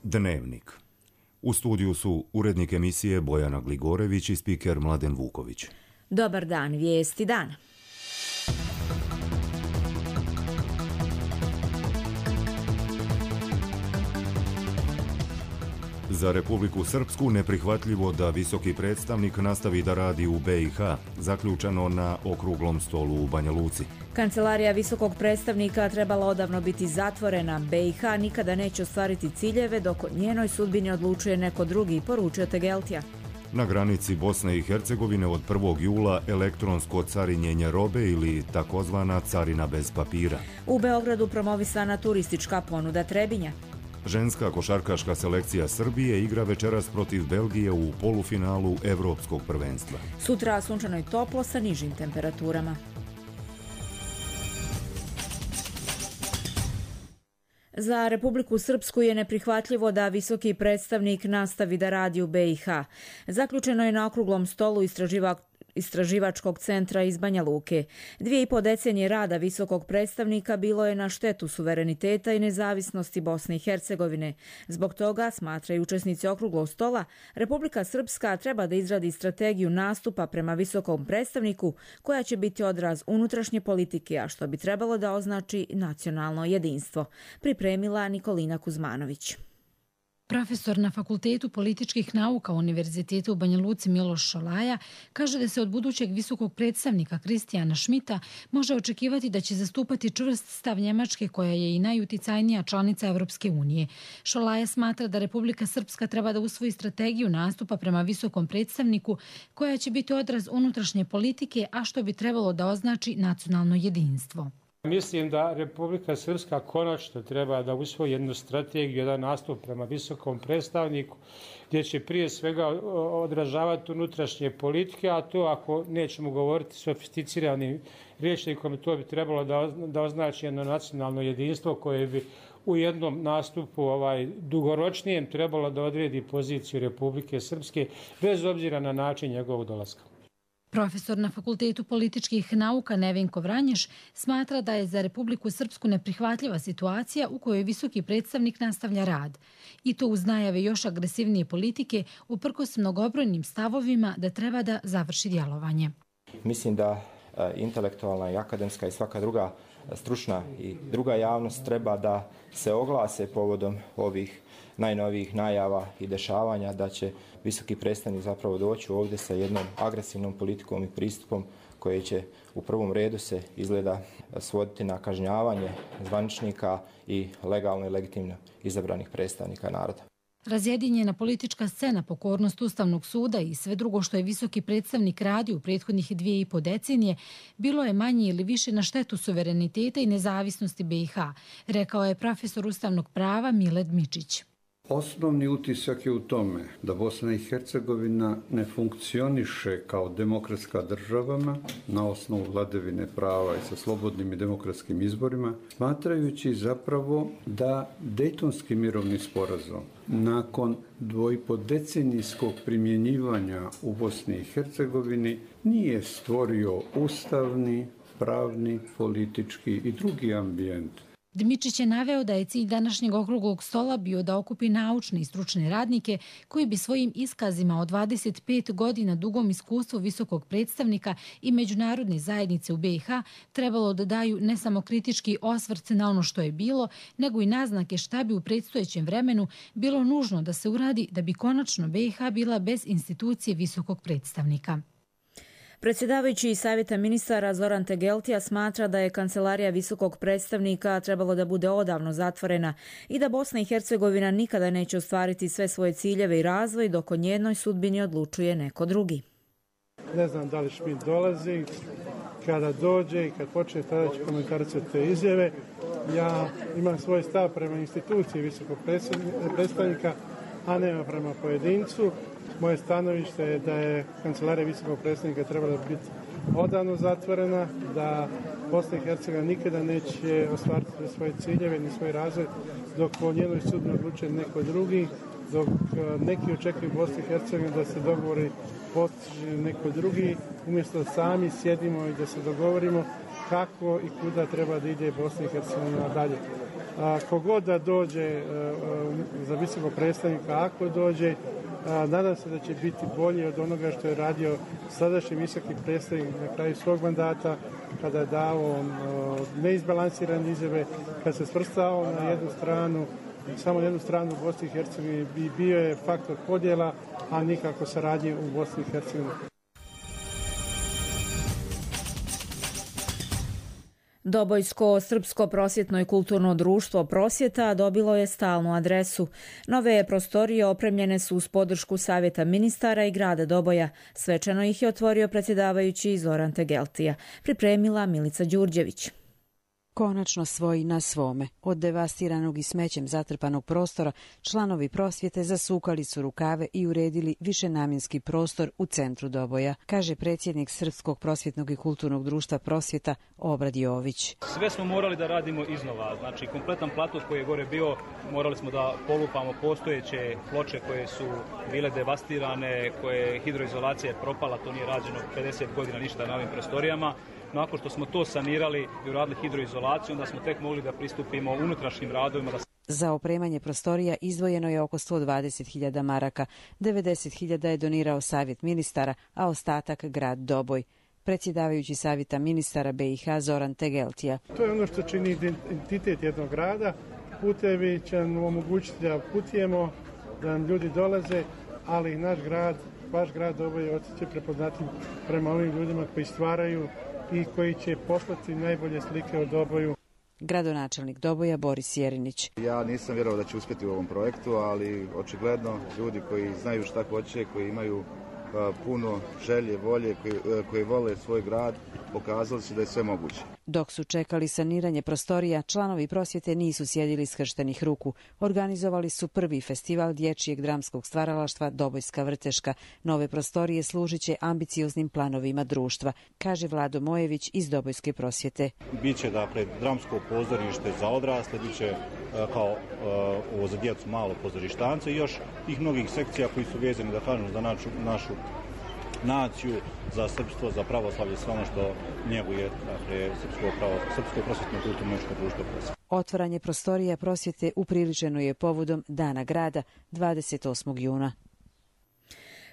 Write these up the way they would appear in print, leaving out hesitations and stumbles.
Dnevnik. U studiju su urednik emisije Bojana Gligorević i spiker Mladen Vuković. Dobar dan, vijesti dana. Za Republiku Srpsku neprihvatljivo da visoki predstavnik nastavi da radi u BiH, zaključeno na okruglom stolu u Banja Luci. Kancelarija visokog predstavnika trebala odavno biti zatvorena. BiH nikada neće ostvariti ciljeve dok o njenoj sudbini odlučuje neko drugi, poručio Tegeltija. Na granici Bosne i Hercegovine od 1. jula elektronsko carinjenje robe ili takozvana carina bez papira. U Beogradu promovisana turistička ponuda Trebinja. Ženska košarkaška selekcija Srbije igra večeras protiv Belgije u polufinalu Evropskog prvenstva. Sutra sunčano i toplo sa nižim temperaturama. Za Republiku Srpsku je neprihvatljivo da visoki predstavnik nastavi da radi u BiH. Zaključeno je na okruglom stolu Istraživačkog centra iz Banja Luke. 2,5 decenije rada visokog predstavnika bilo je na štetu suvereniteta i nezavisnosti Bosne i Hercegovine. Zbog toga, smatraju učesnici okruglog stola, Republika Srpska treba da izradi strategiju nastupa prema visokom predstavniku koja će biti odraz unutrašnje politike, a što bi trebalo da označi nacionalno jedinstvo. Pripremila Nikolina Kuzmanović. Profesor na Fakultetu političkih nauka Univerzitetu u Banja Luci Miloš Šolaja kaže da se od budućeg visokog predstavnika Kristijana Šmita može očekivati da će zastupati čvrst stav Njemačke koja je i najuticajnija članica Evropske unije. Šolaja smatra da Republika Srpska treba da usvoji strategiju nastupa prema visokom predstavniku koja će biti odraz unutrašnje politike, a što bi trebalo da označi nacionalno jedinstvo. Mislim da Republika Srpska konačno treba da usvoji jednu strategiju, jedan nastup prema visokom predstavniku, gdje će prije svega odražavati unutrašnje politike, a to ako nećemo govoriti sofisticiranim rječnikom, to bi trebalo da označi jedno nacionalno jedinstvo koje bi u jednom nastupu dugoročnijem trebalo da odredi poziciju Republike Srpske bez obzira na način njegovog dolaska. Profesor na Fakultetu političkih nauka Nevenko Vranješ smatra da je za Republiku Srpsku neprihvatljiva situacija u kojoj visoki predstavnik nastavlja rad. I to uz najave još agresivnije politike uprkos mnogobrojnim stavovima da treba da završi djelovanje. Mislim da intelektualna i akademska i svaka druga stručna i druga javnost treba da se oglase povodom ovih najnovijih najava i dešavanja da će visoki predstavnik zapravo doći ovdje sa jednom agresivnom politikom i pristupom koje će u prvom redu se izgleda svoditi na kažnjavanje zvaničnika i legalno i legitimno izabranih predstavnika naroda. Razjedinjena politička scena, pokornost Ustavnog suda i sve drugo što je visoki predstavnik radio u prethodnih 2,5 decenije bilo je manje ili više na štetu suvereniteta i nezavisnosti BiH, rekao je profesor ustavnog prava Mile Dmičić. Osnovni utisak je u tome da Bosna i Hercegovina ne funkcioniše kao demokratska država na osnovu vladavine prava i sa slobodnim i demokratskim izborima, smatrajući zapravo da Dejtonski mirovni sporazum nakon 2,5-decenijskog primjenjivanja u Bosni i Hercegovini nije stvorio ustavni, pravni, politički i drugi ambijent. Dmičić je naveo da je cilj današnjeg okruglog stola bio da okupi naučne i stručne radnike koji bi svojim iskazima od 25 godina dugom iskustvu visokog predstavnika i međunarodne zajednice u BiH trebalo da daju ne samo kritički osvrt na ono što je bilo, nego i naznake šta bi u predstojećem vremenu bilo nužno da se uradi da bi konačno BiH bila bez institucije visokog predstavnika. Predsjedavajući Savjeta ministara Zoran Tegeltija smatra da je kancelarija visokog predstavnika trebalo da bude odavno zatvorena i da Bosna i Hercegovina nikada neće ostvariti sve svoje ciljeve i razvoj dok o njenoj sudbini odlučuje neko drugi. Ne znam da li Šmit dolazi, kada dođe i kad počne tada ću komentarisati te izjave. Ja imam svoj stav prema instituciji visokog predstavnika, a ne prema pojedincu. Moje stanovište je da je kancelarija visokog predstavnika trebala biti odavno zatvorena, da Bosna i Hercegovina nikada neće ostvariti svoje ciljeve ni svoj razvoj dok o njenoj sudbini odlučuje neko drugi, dok neki očekuju Bosni i Hercegovini da se dogovori postiže neko drugi, umjesto da sami sjedimo i da se dogovorimo kako i kuda treba da ide Bosna i Hercegovina dalje. Kogod da dođe za visokog predstavnika, ako dođe, nadam se da će biti bolji od onoga što je radio sadašnji visoki predstavnik na kraju svog mandata, kada je dao neizbalansirane izjave, kada se svrstao na jednu stranu, samo na jednu stranu u Bosni i Hercegovini, bio je faktor podjela, a nikako saradnje u Bosni i Hercegovini. Dobojsko srpsko prosvjetno i kulturno društvo Prosvjeta dobilo je stalnu adresu. Nove prostorije opremljene su uz podršku Savjeta ministara i grada Doboja. Svečano ih je otvorio predsjedavajući Zoran Tegeltija. Pripremila Milica Đurđević. Konačno svoji na svome. Od devastiranog i smećem zatrpanog prostora članovi Prosvjete zasukali su rukave i uredili višenamjenski prostor u centru Doboja, kaže predsjednik Srpskog prosvjetnog i kulturnog društva Prosvjeta Obrad Jović. Sve smo morali da radimo iznova, znači kompletan plato koji je gore bio, morali smo da polupamo postojeće ploče koje su bile devastirane, koje hidroizolacija je propala, to nije rađeno 50 godina ništa na ovim prostorijama. Nakon što smo to sanirali i uradili hidroizolaciju, onda smo tek mogli da pristupimo unutrašnjim radovima. Za opremanje prostorija izdvojeno je oko 120.000 maraka, 90.000 je donirao Savjet ministara, a ostatak grad Doboj. Predsjedavajući Savjeta ministara BiH Zoran Tegeltija. To je ono što čini identitet jednog grada. Putevi će nam omogućiti da putujemo, da nam ljudi dolaze, ali naš grad, vaš grad Doboj ostaće prepoznatljiv prema ovim ljudima koji stvaraju i koji će poslati najbolje slike o Doboju. Gradonačelnik Doboja Boris Jerinić. Ja nisam vjerovao da će uspjeti u ovom projektu, ali očigledno ljudi koji znaju šta hoće, koji imaju puno želje, volje, koji vole svoj grad, pokazali su da je sve moguće. Dok su čekali saniranje prostorija, članovi Prosvjete nisu sjedili skrštenih ruku. Organizovali su prvi festival dječjeg dramskog stvaralaštva Dobojska vrteška. Nove prostorije služit će ambicioznim planovima društva, kaže Vlado Mojević iz Dobojske Prosvjete. Biće dakle dramsko pozorište za odrasle, biće kao ovo za djecu malo pozorištance i još tih mnogih sekcija koji su vezani da kažem za našu naciju, za srpstvo, za pravoslavlje, sve ono što njeguje dakle, Srpsko prosvjetno kulturno društvo Prosvjete. Otvaranje prostorija Prosvjete upriličeno je povodom Dana grada 28. juna.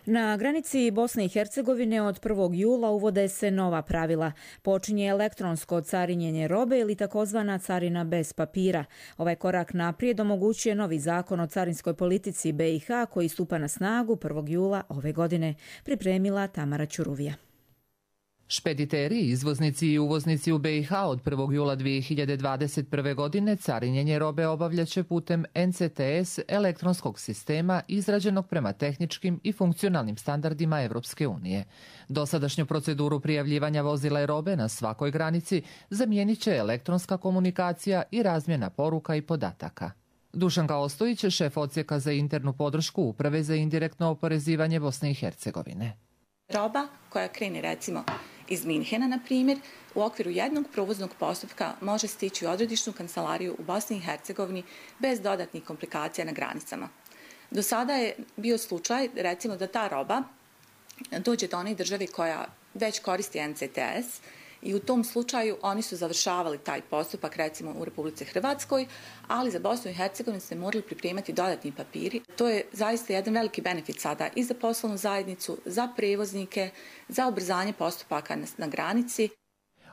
Na granici Bosne i Hercegovine od 1. jula uvode se nova pravila. Počinje elektronsko carinjenje robe ili takozvana carina bez papira. Ovaj korak naprijed omogućuje novi zakon o carinskoj politici BiH koji stupa na snagu 1. jula ove godine. Pripremila Tamara Ćuruvija. Špediteri, izvoznici i uvoznici u BiH od 1. jula 2021. godine carinjenje robe obavljaće putem NCTS elektronskog sistema izrađenog prema tehničkim i funkcionalnim standardima Evropske unije. Dosadašnju proceduru prijavljivanja vozila i robe na svakoj granici zamijenit će elektronska komunikacija i razmjena poruka i podataka. Dušanka Ostojić, šef odsjeka za internu podršku Uprave za indirektno oporezivanje Bosne i Hercegovine. Roba koja krene recimo iz Minhena, na primjer, u okviru jednog provoznog postupka može stići u odredišnu kancelariju u Bosni i Hercegovini bez dodatnih komplikacija na granicama. Do sada je bio slučaj, recimo, da ta roba dođe do one države koja već koristi NCTS i u tom slučaju oni su završavali taj postupak, recimo u Republici Hrvatskoj, ali za Bosnu i Hercegovinu se morali pripremati dodatni papiri. To je zaista jedan veliki benefit sada i za poslovnu zajednicu, za prevoznike, za ubrzanje postupaka na granici.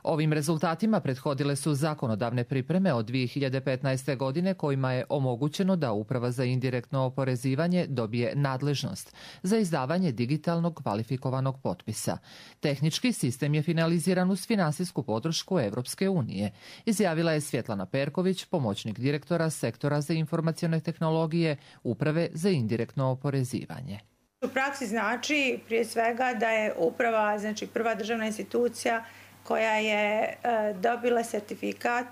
Ovim rezultatima prethodile su zakonodavne pripreme od 2015. godine kojima je omogućeno da Uprava za indirektno oporezivanje dobije nadležnost za izdavanje digitalnog kvalifikovanog potpisa. Tehnički sistem je finaliziran uz finansijsku podršku Evropske unije, izjavila je Svjetlana Perković, pomoćnik direktora Sektora za informacione tehnologije Uprave za indirektno oporezivanje. U praksi znači prije svega da je uprava, znači prva državna institucija koja je dobila sertifikat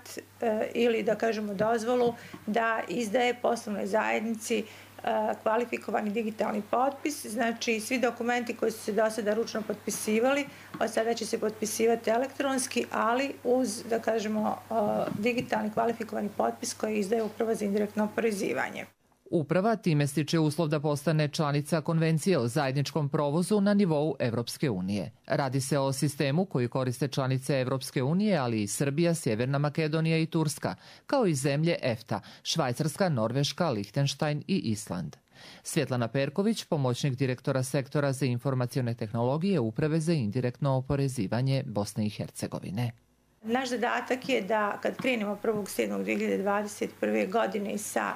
ili da kažemo dozvolu da izdaje poslovnoj zajednici kvalifikovani digitalni potpis. Znači svi dokumenti koji su se do sada ručno potpisivali, od sada će se potpisivati elektronski, ali uz da kažemo digitalni kvalifikovani potpis koji izdaje Uprava za indirektno oporezivanje. Uprava time stiče uslov da postane članica Konvencije o zajedničkom provozu na nivou Evropske unije. Radi se o sistemu koji koriste članice Evropske unije, ali i Srbija, Sjeverna Makedonija i Turska, kao i zemlje EFTA, Švajcarska, Norveška, Lihtenštajn i Island. Svjetlana Perković, pomoćnik direktora sektora za informacione tehnologije Uprave za indirektno oporezivanje Bosne i Hercegovine. Naš zadatak je da kad krenemo 1.7.2021. godine sa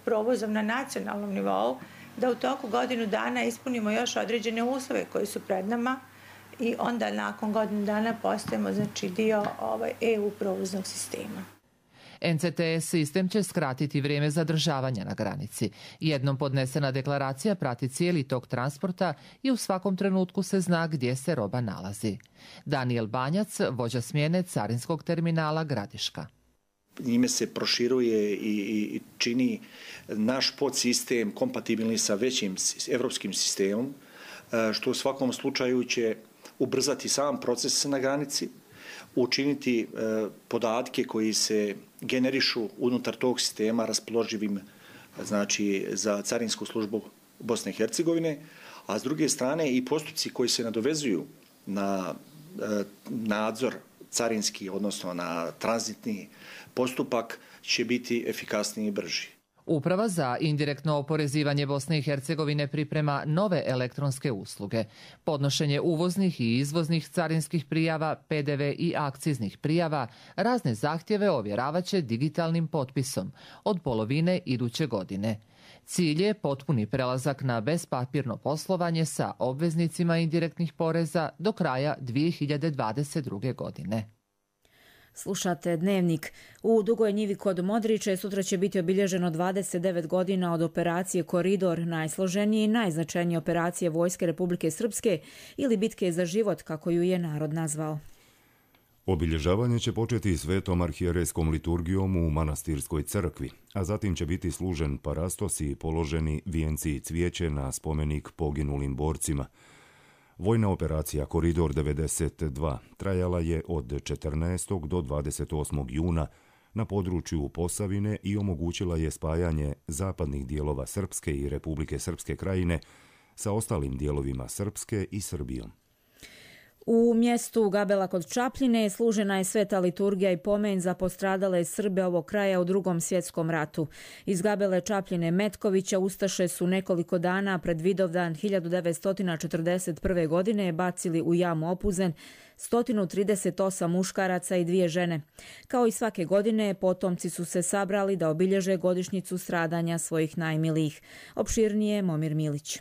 provozom na nacionalnom nivou, da u toku godinu dana ispunimo još određene uslove koji su pred nama i onda nakon godinu dana postajemo dio EU provoznog sistema. NCTS sistem će skratiti vrijeme zadržavanja na granici. Jednom podnesena deklaracija prati cijeli tok transporta i u svakom trenutku se zna gdje se roba nalazi. Daniel Banjac, vođa smjene carinskog terminala Gradiška. Njime se proširuje i čini naš podsistem kompatibilni sa većim evropskim sistemom, što u svakom slučaju će ubrzati sam proces na granici, učiniti podatke koji se generišu unutar tog sistema raspoloživim, znači, za carinsku službu Bosne i Hercegovine, a s druge strane i postupci koji se nadovezuju na nadzor carinski, odnosno na tranzitni postupak, će biti efikasniji i brži. Uprava za indirektno oporezivanje Bosne i Hercegovine priprema nove elektronske usluge. Podnošenje uvoznih i izvoznih carinskih prijava, PDV i akciznih prijava, razne zahtjeve ovjeravaće digitalnim potpisom od polovine iduće godine. Cilj je potpuni prelazak na bezpapirno poslovanje sa obveznicima indirektnih poreza do kraja 2022. godine. Slušate Dnevnik. U Dugoj Njivi kod Modriče sutra će biti obilježeno 29 godina od operacije Koridor, najsloženije i najznačajnije operacije Vojske Republike Srpske ili bitke za život, kako ju je narod nazvao. Obilježavanje će početi svetom arhijerejskom liturgijom u manastirskoj crkvi, a zatim će biti služen parastos i položeni vijenci i cvijeće na spomenik poginulim borcima. Vojna operacija Koridor 92 trajala je od 14. do 28. juna na području Posavine i omogućila je spajanje zapadnih dijelova Srpske i Republike Srpske krajine sa ostalim dijelovima Srpske i Srbijom. U mjestu Gabela kod Čapljine služena je sveta liturgija i pomen za postradale Srbe ovog kraja u Drugom svjetskom ratu. Iz Gabele Čapljine Metkovića ustaše su nekoliko dana pred Vidovdan 1941. godine bacili u jamu Opuzen 138 muškaraca i 2 žene. Kao i svake godine, potomci su se sabrali da obilježe godišnjicu stradanja svojih najmilijih. Opširnije Momir Milić.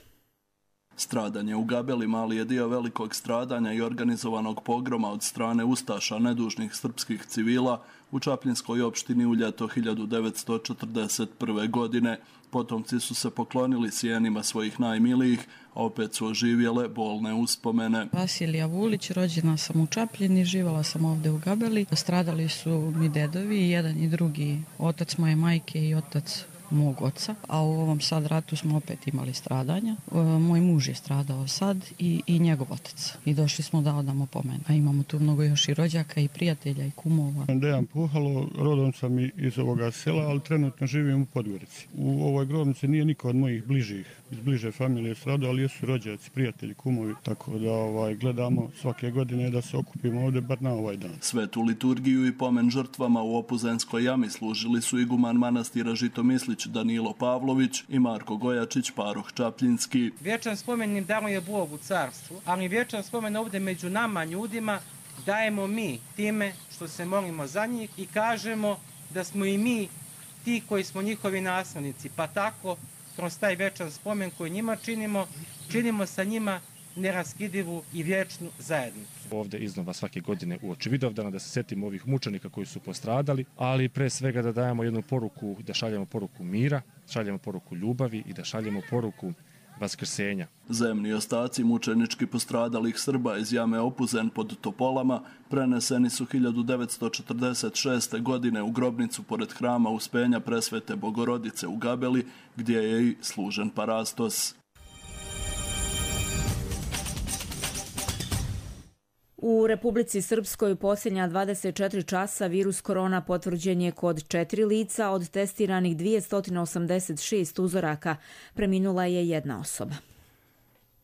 Stradanje u Gabeli mali je dio velikog stradanja i organizovanog pogroma od strane ustaša nedužnih srpskih civila u Čapljinskoj opštini u ljeto 1941. godine. Potomci su se poklonili sjenima svojih najmilijih, a opet su oživjele bolne uspomene. Vasilija Vulić, rođena sam u Čapljini, živala sam ovdje u Gabeli. Stradali su mi dedovi, jedan i drugi, otac moje majke i otac mog oca, a u ovom sad ratu smo opet imali stradanja. Moj muž je stradao sad i njegov otac. I došli smo da odamo pomen. A imamo tu mnogo još i rođaka i prijatelja i kumova. Dejan Puhalo, rodom sam iz ovoga sela, ali trenutno živim u Podgorici. U ovoj grobnici nije niko od mojih iz bliže familije stradao, ali jesu rođaci, prijatelji, kumovi, tako da gledamo svake godine da se okupimo ovdje bar na ovaj dan. Svetu liturgiju i pomen žrtvama u Opuzenskoj jami služili su iguman manastira Žitomislić Danilo Pavlović i Marko Gojačić, paroh Čapljinski. Vječan spomen im daruje Bog u carstvu, ali vječan spomen ovdje među nama ljudima dajemo mi time što se molimo za njih i kažemo da smo i mi ti koji smo njihovi naslednici, pa tako kroz taj vječan spomen koji njima činimo sa njima neraskidivu i vječnu zajednicu. Ovdje iznova svake godine uoči Vidovdana da se setimo ovih mučenika koji su postradali, ali pre svega da dajemo jednu poruku, da šaljemo poruku mira, šaljemo poruku ljubavi i da šaljemo poruku vaskrsenja. Zemni ostaci mučenički postradalih Srba iz jame Opuzen pod Topolama preneseni su 1946. godine u grobnicu pored hrama Uspenja Presvete Bogorodice u Gabeli, gdje je i služen parastos. U Republici Srpskoj u posljednja 24 časa virus korona potvrđen je kod 4 lica, od testiranih 286 uzoraka. Preminula je jedna osoba.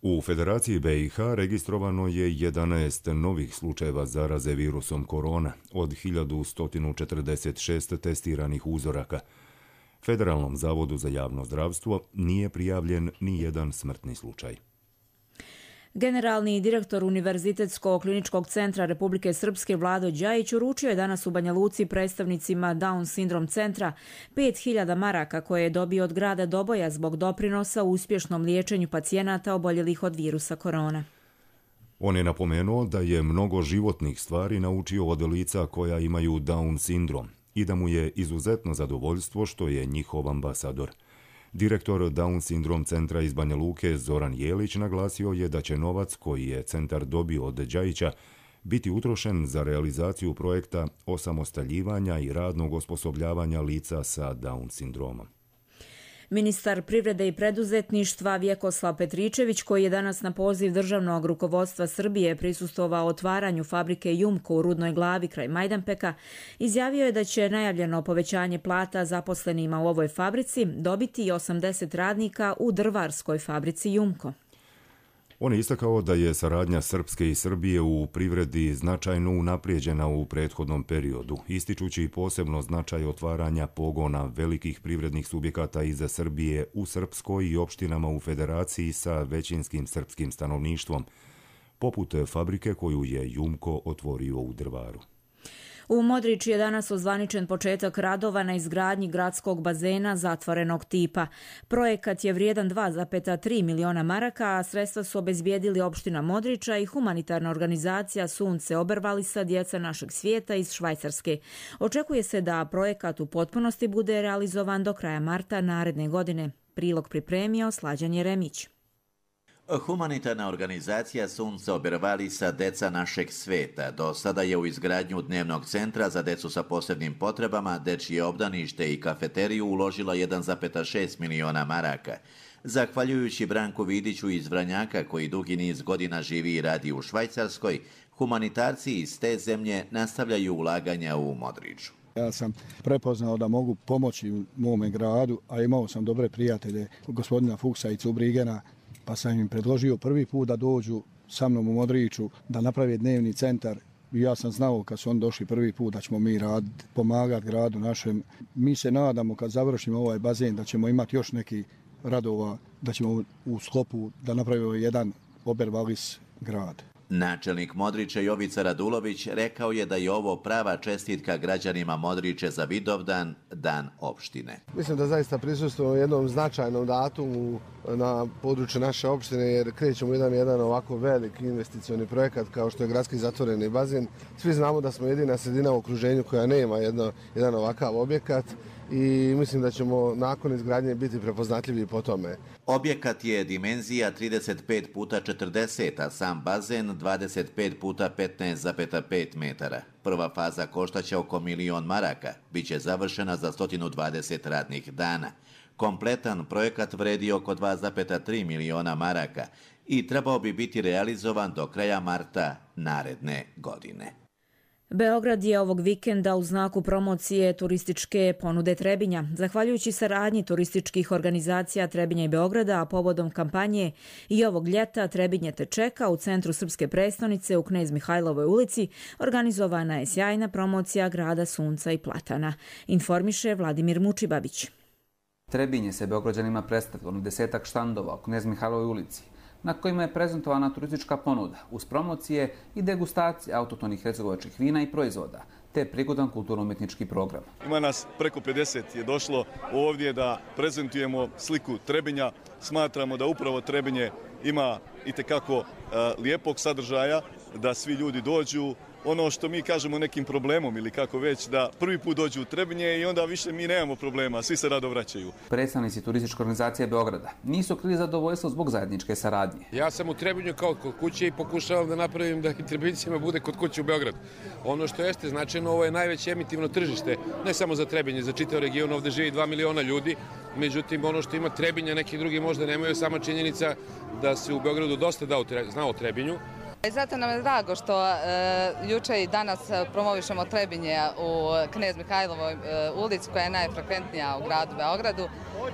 U Federaciji BiH registrovano je 11 novih slučajeva zaraze virusom korona od 1146 testiranih uzoraka. Federalnom zavodu za javno zdravstvo nije prijavljen ni jedan smrtni slučaj. Generalni direktor Univerzitetskog kliničkog centra Republike Srpske Vlado Đajić uručio je danas u Banja Luci predstavnicima Down sindrom centra 5.000 maraka koje je dobio od grada Doboja zbog doprinosa u uspješnom liječenju pacijenata oboljelih od virusa korona. On je napomenuo da je mnogo životnih stvari naučio od lica koja imaju Down sindrom i da mu je izuzetno zadovoljstvo što je njihov ambasador. Direktor Down sindrom centra iz Banja Luke Zoran Jelić naglasio je da će novac koji je centar dobio od Đajića biti utrošen za realizaciju projekta osamostaljivanja i radnog osposobljavanja lica sa Down sindromom. Ministar privrede i preduzetništva Vjekoslav Petričević, koji je danas na poziv državnog rukovodstva Srbije prisustvovao otvaranju fabrike Jumko u Rudnoj Glavi kraj Majdanpeka, izjavio je da će najavljeno povećanje plata zaposlenima u ovoj fabrici dobiti i 80 radnika u drvarskoj fabrici Jumko. On je istakao da je saradnja Srpske i Srbije u privredi značajno unaprijeđena u prethodnom periodu, ističući posebno značaj otvaranja pogona velikih privrednih subjekata iz Srbije u Srpskoj i opštinama u federaciji sa većinskim srpskim stanovništvom, poput fabrike koju je Jumko otvorio u Drvaru. U Modriči je danas ozvaničen početak radova na izgradnji gradskog bazena zatvorenog tipa. Projekat je vrijedan 2,3 miliona maraka, a sredstva su obezbijedili opština Modriča i humanitarna organizacija Sunce Obervalisa Djeca našeg svijeta iz Švajcarske. Očekuje se da projekat u potpunosti bude realizovan do kraja marta naredne godine. Prilog pripremio Slađan Jeremić. Humanitarna organizacija Sunce Obervalisa Deca našeg sveta do sada je u izgradnju dnevnog centra za decu sa posebnim potrebama, dečije obdanište i kafeteriju uložila 1,6 miliona maraka. Zahvaljujući Branku Vidiću iz Vranjaka, koji dugi niz godina živi i radi u Švajcarskoj, humanitarci iz te zemlje nastavljaju ulaganja u Modriču. Ja sam prepoznao da mogu pomoći u mome gradu, a imao sam dobre prijatelje, gospodina Fuksa i Cubrigena, pa sam im predložio prvi put da dođu sa mnom u Modriču, da naprave dnevni centar. I ja sam znao kad su oni došli prvi put da ćemo mi raditi, pomagati gradu našem. Mi se nadamo kad završimo ovaj bazen da ćemo imati još neki radova, da ćemo u sklopu da napravimo jedan Obervalis grad. Načelnik Modriče Jovica Radulović rekao je da je ovo prava čestitka građanima Modriče za Vidovdan, dan opštine. Mislim da zaista prisustvujemo jednom značajnom datumu na području naše opštine, jer krećemo jedan ovako veliki investicioni projekat kao što je gradski zatvoreni bazen. Svi znamo da smo jedina sredina u okruženju koja nema jedan ovakav objekat i mislim da ćemo nakon izgradnje biti prepoznatljivi po tome. Objekat je dimenzija 35 puta 40, a sam bazen 25 puta 15,5 metara. Prva faza koštaće oko 1 milion maraka, bit će završena za 120 radnih dana. Kompletan projekat vredi oko 2,3 miliona maraka i trebao bi biti realizovan do kraja marta naredne godine. Beograd je ovog vikenda u znaku promocije turističke ponude Trebinja. Zahvaljujući saradnji turističkih organizacija Trebinja i Beograda, a povodom kampanje i ovog ljeta Trebinje te čeka u centru srpske prestonice u Knez Mihajlovoj ulici, organizovana je sjajna promocija grada sunca i platana. Informiše Vladimir Mučibabić. Trebinje se Beograđanima predstavilo na 10-ak štandova u Knez Mihajlovoj ulici, na kojima je prezentovana turistička ponuda uz promocije i degustacije autohtonih hercegovačkih vina i proizvoda, te prigodan kulturno-umetnički program. Ima nas preko 50 je došlo ovdje da prezentujemo sliku Trebinja. Smatramo da upravo Trebinje ima itekako lijepog sadržaja, da svi ljudi dođu, ono što mi kažemo nekim problemom ili kako već, da prvi put dođu u Trebinje i onda više mi nemamo problema, svi se rado vraćaju. Predstavnici turističke organizacije Beograda nisu krili zadovoljstvo zbog zajedničke saradnje. Ja sam u Trebinju kao kod kuće i pokušavam da napravim da i Trebincima bude kod kuće u Beogradu. Ono što jeste značajno, ovo je najveće emitivno tržište, ne samo za Trebinje, za čitav region, ovdje živi 2 miliona ljudi. Međutim, ono što ima Trebinja, neki drugi možda nemaju, sama činjenica da se u Beogradu dosta zna o Trebinju. Zato nam je drago što juče i danas promovišemo Trebinje u Knez Mihajlovoj ulici koja je najfrekventnija u gradu Beogradu.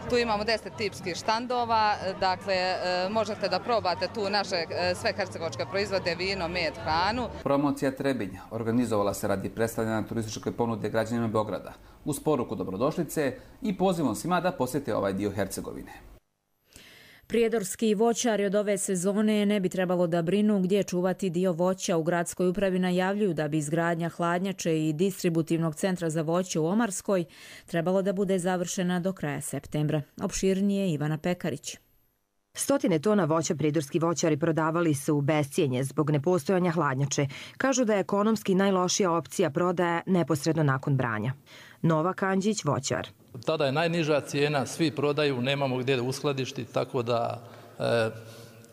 Tu imamo 10 tipskih štandova, dakle možete da probate tu naše sve hercegovačke proizvode, vino, med, hranu. Promocija Trebinja organizovala se radi predstavljanja turističke ponude građanima Beograda uz poruku dobrodošlice i pozivom svima da posjete ovaj dio Hercegovine. Prijedorski voćari od ove sezone ne bi trebalo da brinu gdje čuvati dio voća. U gradskoj upravi najavljuju da bi izgradnja hladnjače i distributivnog centra za voće u Omarskoj trebalo da bude završena do kraja septembra. Opširnije Ivana Pekarić. 100 tona voća pridorski voćari prodavali su u bescijenje zbog nepostojanja hladnjače. Kažu da je ekonomski najlošija opcija prodaja neposredno nakon branja. Nova Kanđić, voćar. Tada je najniža cijena, svi prodaju, nemamo gdje uskladišti, tako da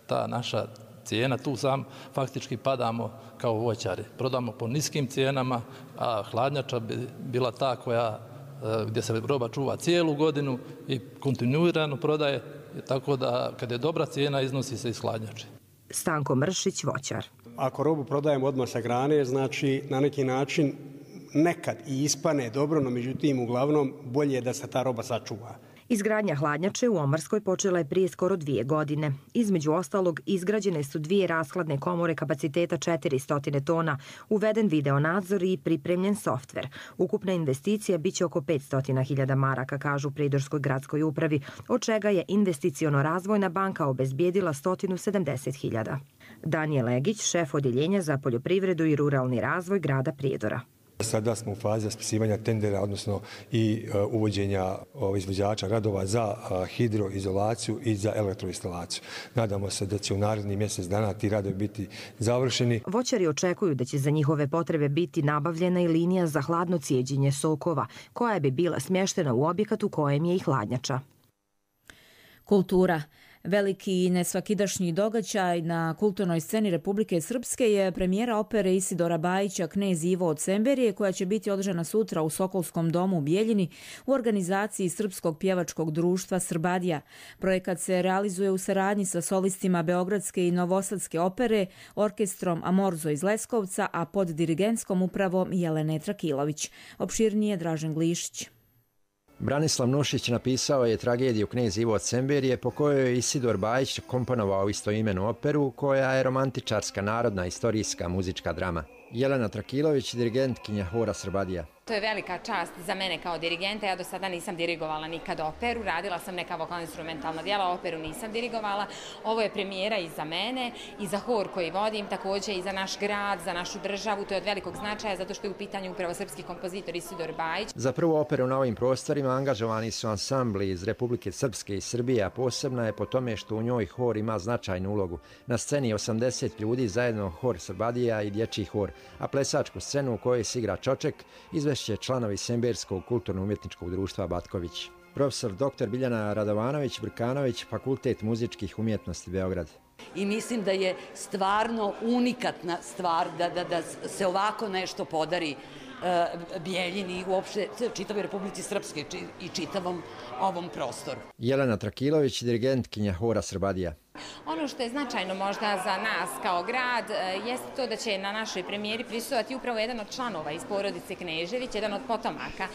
ta naša cijena, tu sam faktički padamo kao voćari. Prodamo po niskim cijenama, a hladnjača bi bila ta gdje se roba čuva cijelu godinu i kontinuirano prodaje, tako da kad je dobra cijena iznosi se iz hladnjače. Stanko Mršić, voćar. Ako robu prodajemo odmah sa grane, znači na neki način nekad i ispane dobro, no međutim uglavnom bolje je da se ta roba sačuva. Izgradnja hladnjače u Omarskoj počela je prije skoro 2 godine. Između ostalog, izgrađene su 2 rashladne komore kapaciteta 400 tona, uveden video nadzor i pripremljen softver. Ukupna investicija biće oko 500.000 maraka, kažu u Pridorskoj gradskoj upravi, od čega je Investiciono-razvojna banka obezbijedila 170.000. Daniel Legić, šef odjeljenja za poljoprivredu i ruralni razvoj grada Prijedora. Sada smo u fazi raspisivanja tendera, odnosno i uvođenja izvođača radova za hidroizolaciju i za elektroinstalaciju. Nadamo se da će u narednih mjesec dana ti radovi biti završeni. Voćari očekuju da će za njihove potrebe biti nabavljena i linija za hladno cijeđenje sokova, koja bi bila smještena u objekat u kojem je i hladnjača. Kultura. Veliki i nesvakidašnji događaj na kulturnoj sceni Republike Srpske je premijera opere Isidora Bajića Knez Ivo od Semberije, koja će biti održana sutra u Sokolskom domu u Bijeljini u organizaciji Srpskog pjevačkog društva Srbadija. Projekat se realizuje u saradnji sa solistima Beogradske i Novosadske opere, orkestrom Amorzo iz Leskovca, a pod dirigentskom upravom Jelene Trakilović. Opširnije Dražen Glišić. Branislav Nušić napisao je tragediju Knez Ivo od Semberije, po kojoj je Isidor Bajić komponovao istoimenu operu, koja je romantičarska, narodna, istorijska, muzička drama. Jelena Trakilović, dirigentkinja hora Srbadija. To je velika čast za mene kao dirigenta. Ja do sada nisam dirigovala nikad operu, radila sam neka vokalno-instrumentalna djela, operu nisam dirigovala. Ovo je premijera i za mene i za hor koji vodim, također i za naš grad, za našu državu. To je od velikog značaja zato što je u pitanju upravo srpski kompozitor Isidor Bajić. Za prvu operu na ovim prostorima angažovani su ansambli iz Republike Srpske i Srbije, a posebna je po tome što u njoj hor ima značajnu ulogu. Na sceni je 80 ljudi, zajedno hor Srbadija i dječji hor, a plesačku scenu u kojoj se igra Čoček izvešće članovi Semberskog kulturno-umjetničkog društva Batković. Profesor dr. Biljana Radovanović-Brkanović, Fakultet muzičkih umjetnosti Beograd. I mislim da je stvarno unikatna stvar da se ovako nešto podari Bijeljini i uopšte čitavoj Republici Srpske i čitavom ovom prostoru. Jelena Trakilović, dirigentkinja hora Srbadija. Ono što je značajno možda za nas kao grad jeste to da će na našoj premijeri prisustvovati upravo jedan od članova iz porodice Knežević, jedan od potomaka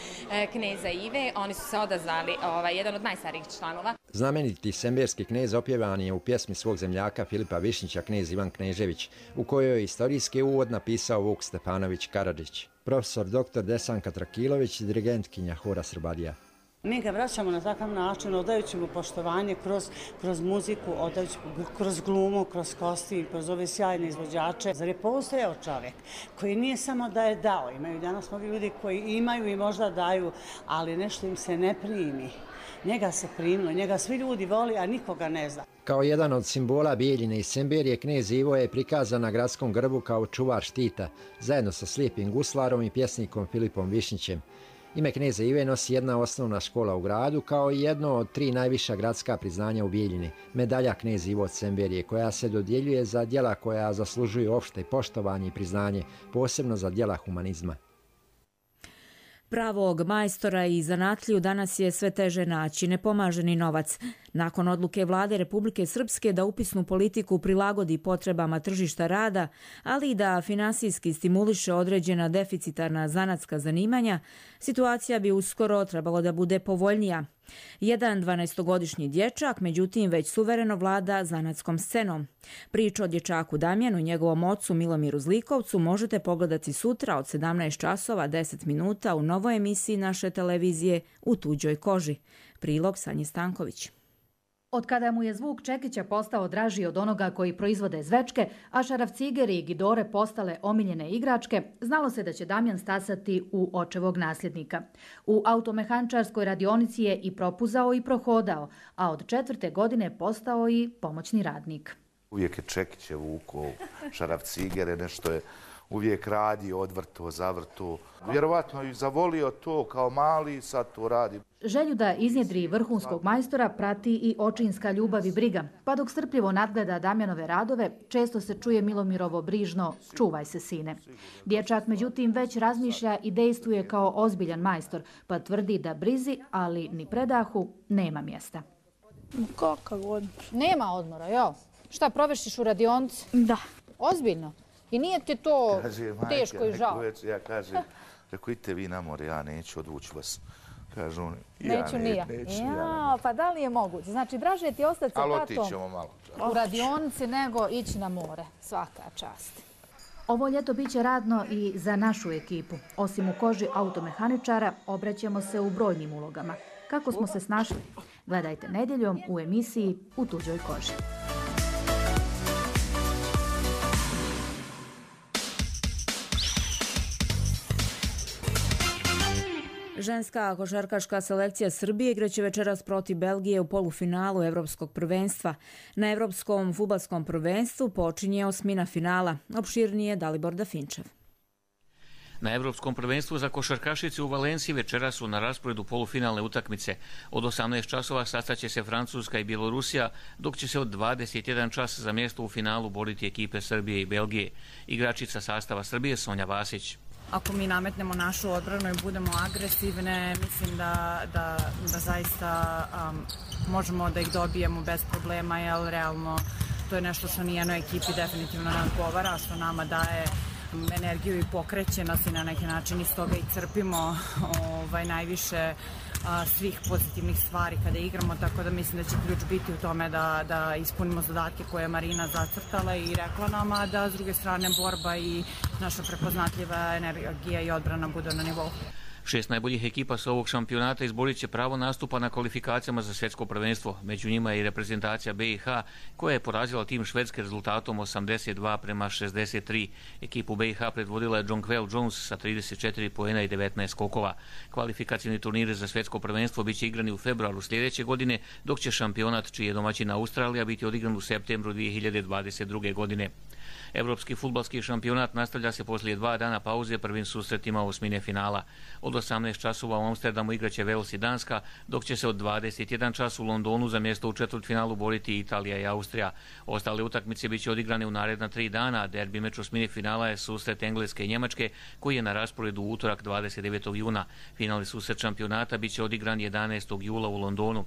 kneza Ive. Oni su se odazvali, jedan od najstarijih članova. Znameniti semberski knez opjevan je u pjesmi svog zemljaka Filipa Višnjića knez Ivan Knežević, u kojoj je istorijski uvod napisao Vuk Stepanović Karadžić. Profesor dr. Desanka Trakilović, dirigentkinja hora Srbadija. Mi ga vraćamo na takav način, odajući mu poštovanje kroz muziku, odajući kroz glumu, kroz kostim, kroz ove sjajne izvođače. Zar je postojao čovjek koji nije samo da je dao, imaju danas mnogi ljudi koji imaju i možda daju, ali nešto im se ne primi. Njega se primilo, njega svi ljudi voli, a nikoga ne zna. Kao jedan od simbola Bijeljine i Semberije, knez Ivo je prikazan na gradskom grbu kao čuvar štita, zajedno sa slijepim guslarom i pjesnikom Filipom Višnjićem. Ime kneza Ive nosi jedna osnovna škola u gradu, kao i jedno od 3 najviša gradska priznanja u Bijeljini, medalja knez Ivo od Semberije, koja se dodjeljuje za djela koja zaslužuju opšte poštovanje i priznanje, posebno za djela humanizma. Pravog majstora i zanatliju danas je sve teže naći, ne pomaže ni novac. Nakon odluke vlade Republike Srpske da upisnu politiku prilagodi potrebama tržišta rada, ali i da finansijski stimuliše određena deficitarna zanatska zanimanja, situacija bi uskoro trebalo da bude povoljnija. Jedan 12-godišnji dječak, međutim, već suvereno vlada zanatskom scenom. Priču o dječaku Damjanu i njegovom ocu Milomiru Zlikovcu možete pogledati sutra od 17 časova 10 minuta u novoj emisiji naše televizije U tuđoj koži. Prilog Sanje Stanković. Od kada mu je zvuk čekića postao draži od onoga koji proizvode zvečke, a šarafcigeri i gidore postale omiljene igračke, znalo se da će Damjan stasati u očevog nasljednika. U automehančarskoj radionici je i propuzao i prohodao, a od 4. godine postao i pomoćni radnik. Uvijek je čekiće vukao, šarafcigere, nešto je uvijek radio, odvrto, zavrto. Vjerovatno i zavolio to kao mali, sad to radi. Želju da iznjedri vrhunskog majstora prati i očinska ljubav i briga, pa dok strpljivo nadgleda Damjanove radove, često se čuje Milomirovo brižno "čuvaj se, sine". Dječak, međutim, već razmišlja i dejstvuje kao ozbiljan majstor, pa tvrdi da brizi, ali ni predahu, nema mjesta. Kakav odmor? Nema odmora, jel? Šta, provešćiš u radionici? Da. Ozbiljno? I nije ti to teško i žao? Ja kažem, rekao, idite vi na more, ja neću, odvući vas. Kažu oni, neću ni ja. Pa da li je moguće? Znači, draže ti ostati sa tatom u radionici nego ići na more. Svaka čast. Ovo ljeto biće radno i za našu ekipu. Osim u koži automehaničara, obraćamo se u brojnim ulogama. Kako smo se snašli? Gledajte nedjeljom u emisiji U tuđoj koži. Ženska košarkaška selekcija Srbije igraće večeras protiv Belgije u polufinalu Evropskog prvenstva. Na Evropskom fudbalskom prvenstvu počinje osmina finala. Opširnije Dalibor Dafinčev. Na Evropskom prvenstvu za košarkašice u Valenciji večeras su na rasporedu polufinalne utakmice. Od 18 časova sastaće se Francuska i Bjelorusija, dok će se od 21 čas za mjesto u finalu boriti ekipe Srbije i Belgije. Igračica sastava Srbije Sonja Vasić. Ako mi nametnemo našu odbranu i budemo agresivne, mislim da zaista možemo da ih dobijemo bez problema, jer realno to je nešto što nijednoj ekipi definitivno ne odgovara, što nama daje energiju i pokreće nas i na neki način iz toga i crpimo najviše svih pozitivnih stvari kada igramo, tako da mislim da će ključ biti u tome da ispunimo zadatke koje je Marina zacrtala i rekla nam, a da s druge strane borba i naša prepoznatljiva energija i odbrana bude na nivou. 6 najboljih ekipa sa ovog šampionata izborit će pravo nastupa na kvalifikacijama za svjetsko prvenstvo. Među njima je i reprezentacija BiH koja je porazila tim Švedske rezultatom 82-63. Ekipu BiH predvodila je Jonquel Jones sa 34 poena i 19 skokova. Kvalifikacijni turniri za svjetsko prvenstvo biće igrani u februaru sljedeće godine, dok će šampionat, čiji je domaćina Australija, biti odigran u septembru 2022. godine. Evropski fudbalski šampionat nastavlja se poslije 2 dana pauze prvim susretima osmine finala. Od 18 časova u Amsterdamu igraće Wales i Danska, dok će se od 21 čas u Londonu za mjesto u četvrtfinalu boriti Italija i Austrija. Ostale utakmice biće odigrane u naredna 3 dana. Derbi meč osmine finala je susret Engleske i Njemačke, koji je na rasporedu u utorak 29. juna. Finalni susret šampionata biće odigran 11. jula u Londonu.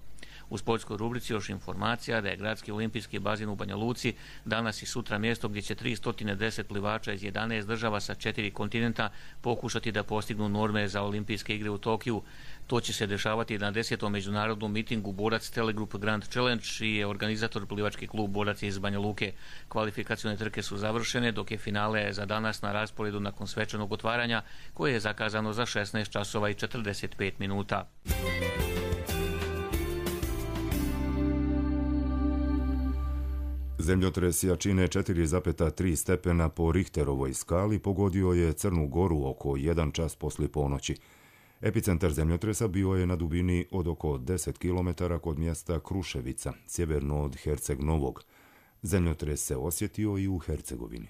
U sportskoj rubrici još informacija da je gradski olimpijski bazen u Banja Luci danas i sutra mjesto gdje će 310 plivača iz 11 država sa 4 kontinenta pokušati da postignu norme za olimpijske igre u Tokiju. To će se dešavati na 10. međunarodnom mitingu Borac Telegroup Grand Challenge, čiji je organizator plivački klub Borac iz Banja Luke. Kvalifikacione trke su završene, dok je finale za danas na rasporedu nakon svečanog otvaranja, koje je zakazano za 16 časova i 45 minuta. Zemljotres jačine 4,3 stepena po Richterovoj skali pogodio je Crnu Goru oko 1 čas poslije ponoći. Epicentar zemljotresa bio je na dubini od oko 10 km kod mjesta Kruševica, sjeverno od Herceg Novog. Zemljotres se osjetio i u Hercegovini.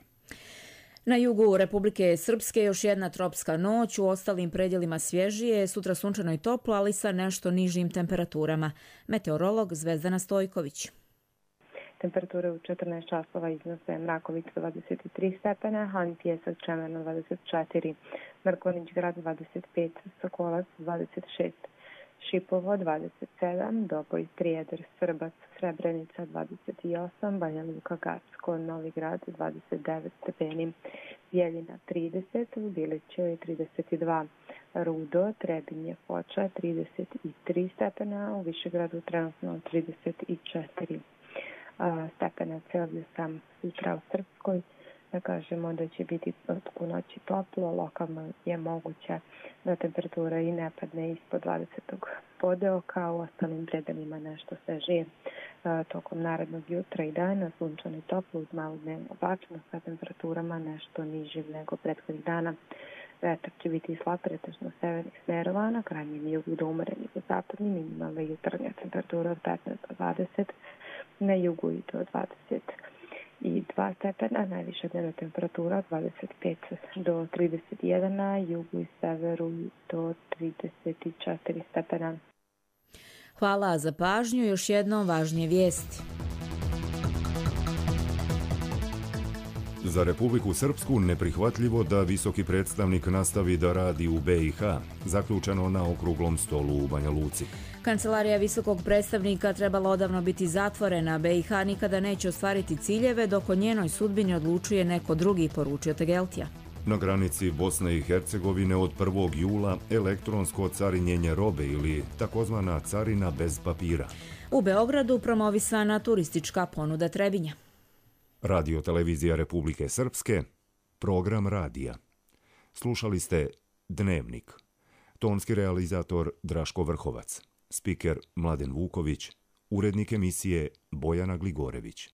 Na jugu Republike Srpske još jedna tropska noć, u ostalim predjelima svježije, sutra sunčano i toplo, ali sa nešto nižim temperaturama. Meteorolog Zvezdana Stojković. Temperature u 14 časova iznose Mrakovica 23 stepena, Han Pjesak Čemerno 24, Mrkonić grad 25, Sokolac 26, Šipovo 27, Doboj, Trijedar, Srbac, Srebrenica 28, Banja Luka, Gacko, Novi Grad 29 stepeni, Bijeljina 30, Biliće 32, Rudo, Trebinje, Foča 33 stepena, u Višegradu trenutno 34 stepena Celzijusa. Sutra u Srpskoj da kažemo da će biti od ponoći toplo, lokalno je moguće da temperatura i ne padne ispod 20. podeoka, u ostalim predelima nešto svežije tokom narednog jutra i dana, sunčano i toplo uz malu dnevnu oblačnost sa temperaturama nešto nižim nego prethodnih dana. Vetar će biti slab pretežno severnih smerova, na krajnjem jugu do umerenih u zapadnim, minimalna jutarnja temperatura od 15 do 20, na jugu i do 22 stepena, najviša dnevna temperatura od 25 do 31, na jugu i severu do 34 stepena. Hvala za pažnju, još jednom važnije vijesti. Za Republiku Srpsku neprihvatljivo da visoki predstavnik nastavi da radi u BiH, zaključeno na okruglom stolu u Banja Luci. Kancelarija visokog predstavnika trebala odavno biti zatvorena, BiH nikada neće ostvariti ciljeve dok o njenoj sudbini odlučuje neko drugi, poručio Tegeltija. Na granici Bosne i Hercegovine od 1. jula elektronsko carinjenje robe ili takozvana carina bez papira. U Beogradu promovisana turistička ponuda Trebinja. Radio televizija Republike Srpske, program radija. Slušali ste Dnevnik. Tonski realizator Draško Vrhovac. Spiker Mladen Vuković. Urednik emisije Bojana Gligorević.